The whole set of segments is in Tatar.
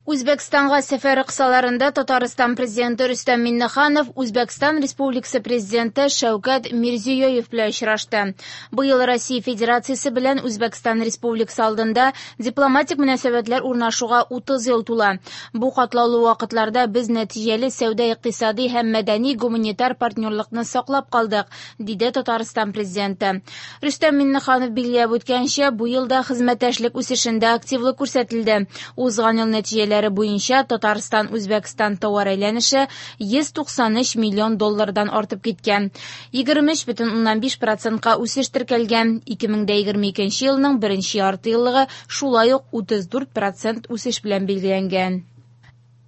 Үзбәкстанга сәфәре кысаларында Татарстан Президенты Рөстәм Миңнеханов Үзбәкстан Республикасы Президенты Шәүкәт Мирзиёев белән очрашты. Быел Россия Федерациясе белән Үзбәкстан Республикасы алдында дипломатик мөнәсәбәтләр урнашуга 30 ел тула. Бу катлаулы вакытларда без нәтиҗәле сәүдә-икътисади һәм мәдәни-гуманитар партнерлыкны саклап калдык, диде Татарстан Президенты. Рөстәм Миңнеханов билгеләп үткәнчә, бу елда хезмәттәшлек үсешендә активлык күрсәтелде. Узган ел нәтиҗәләре буенча Татарстан-Үзбәкстан товар әйләнеше 193 миллион доллардан артып киткән. 23,5 процентка үсеш теркәлгән. 2022 елның беренче яртыеллыгы шулай ук 34 процент үсеш белән билгеләнгән.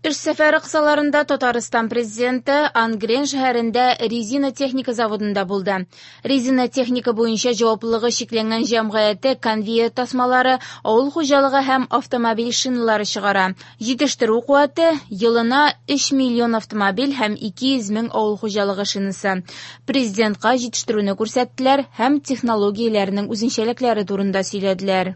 Эш сәфәре кысаларында Татарстан Президенты Ангрен шәһәрендә резина техника заводында булды. Резина техника буенча җаваплылыгы чикләнгән җәмгыяте конвейер тасмалары, авыл хуҗалыгы һәм автомобиль шиналары чыгара. Җитештерү куәте елына 3 миллион автомобиль һәм 200 мең авыл хуҗалыгы шинасы. Президентка җитештерүне күрсәттеләр һәм технологияләрнең үзенчәлекләре турында сөйләделәр.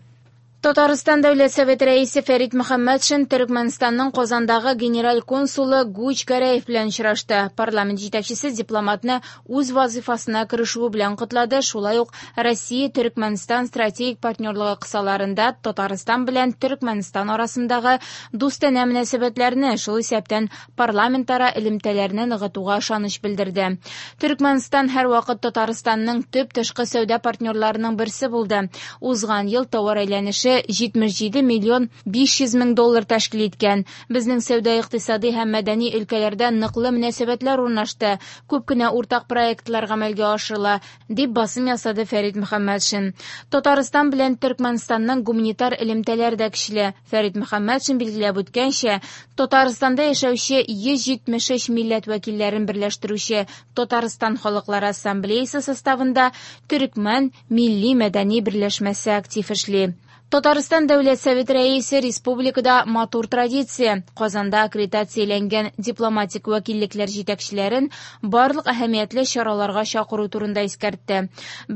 Татарстан Дәүләт Советы рәисе Фәрит Мөхәммәтшин Төрекмәнстанның Казандагы генераль консулы Гуч Гәрәев белән очрашты. Парламент җитәкчесе дипломатны үз вазифасына керешүе белән котлады, шулай ук Россия-Төрекмәнстан стратегик партнерлыгы кысаларында Татарстан белән Төрекмәнстан арасындагы дустанә мөнәсәбәтләрне, шул исәптән парламентара элемтәләрне ныгытуга ышаныч белдерде. Төрекмәнстан һәрвакыт Татарстанның төп тышкы сәүдә партнерларының берсе булды. Узган ел товар әйләнеше 77 миллион 500 мең доллар тәшкил иткән. Безнең сәүдә-икътисади һәм мәдәни өлкәләрдә ныклы мөнәсәбәтләр урнашты. Күп кенә уртак проектлар гамәлгә ашырыла, дип басым ясады Фәрит Мөхәммәтшин. Татарстан белән Төркмәнстанның гуманитар элемтәләре дә көчле. Фәрит Мөхәммәтшин билгеләп үткәнчә, Татарстанда яшәүче 173 милләт вәкилләрен берләштерүче Татарстан халыклары ассамблеясы составында Төркмән милли мәдәни берләшмәсе актив эшли. Татарстан Дәүләт Советы рәисе республикада матур традиция Казанда аккредитацияләнгән дипломатик вәкиллекләр җитәкчеләрен барлык әһәмиятле чараларга чакыру турында искәртте.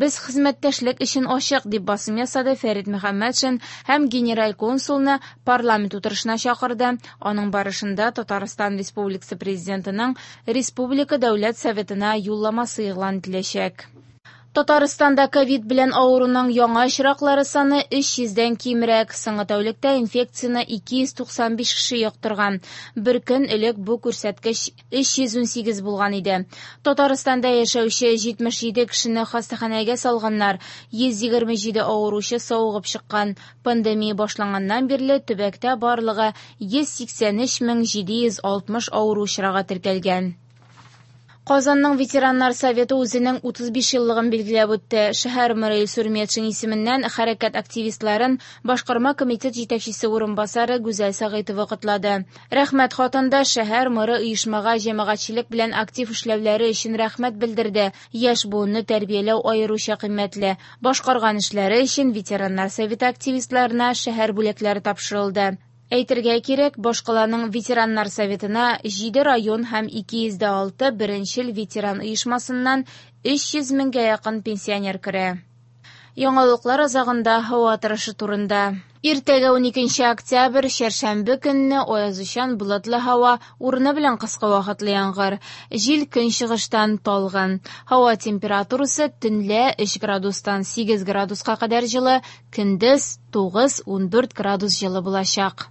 Без хезмәттәшлек өчен ачык, дип басым ясады Фәрит Мөхәммәтшин һәм генераль консулны парламент утырышына чакырды. Аның барышында Татарстан Республикасы Президентының Республика Дәүләт Советына юлламасы игълан ителәчәк. Татарстанда ковид белән авыруның яңа очраклары саны 300дән кимрәк. Соңгы тәүлектә инфекцияне 295 кеше йоктырган. Бер көн элек бу күрсәткеч 318 булган иде. Татарстанда яшәүче 77 кешене хастаханәгә салганнар, 127 авыручы савыгып чыккан. Пандемия башланганнан бирле төбәктә барлыгы 183 760 авыру очрагы теркәлгән. Казанның ветераннар советы үзенең 35 еллыгын билгеләп үтте. Шәһәр мэры Илсур Метшин исеменнән хәрәкәт активистларын башкарма комитет җитәкчесе урынбасары Гүзәл Сәгыйтова котлады. Рәхмәт хатында шәһәр мэры оешмага җәмәгатьчелек белән актив эшләүләре өчен рәхмәт белдерде. Яшь буынны тәрбияләү аеруча кыйммәтле. Башкарган эшләре өчен ветераннар советы активистларына шәһәр бүләкләре тапшырылды. Әйтергә кирәк, башкаланың ветераннар советына 7 район һәм 206 беренчел ветеран оешмасыннан 300 меңгә якын пенсионер керә. Яңалыклар азагында һава торышы турында. Иртәгә 12 октябрь, чәршәмбе көнне аязучан болытлы һава, урыны белән кыска вакытлы яңгыр. Җил көнчыгыштан талгын. Һава температурасы төнлә 3 градустан 8 градуска кадәр җылы, көндез 9-14 градус җылы булачак.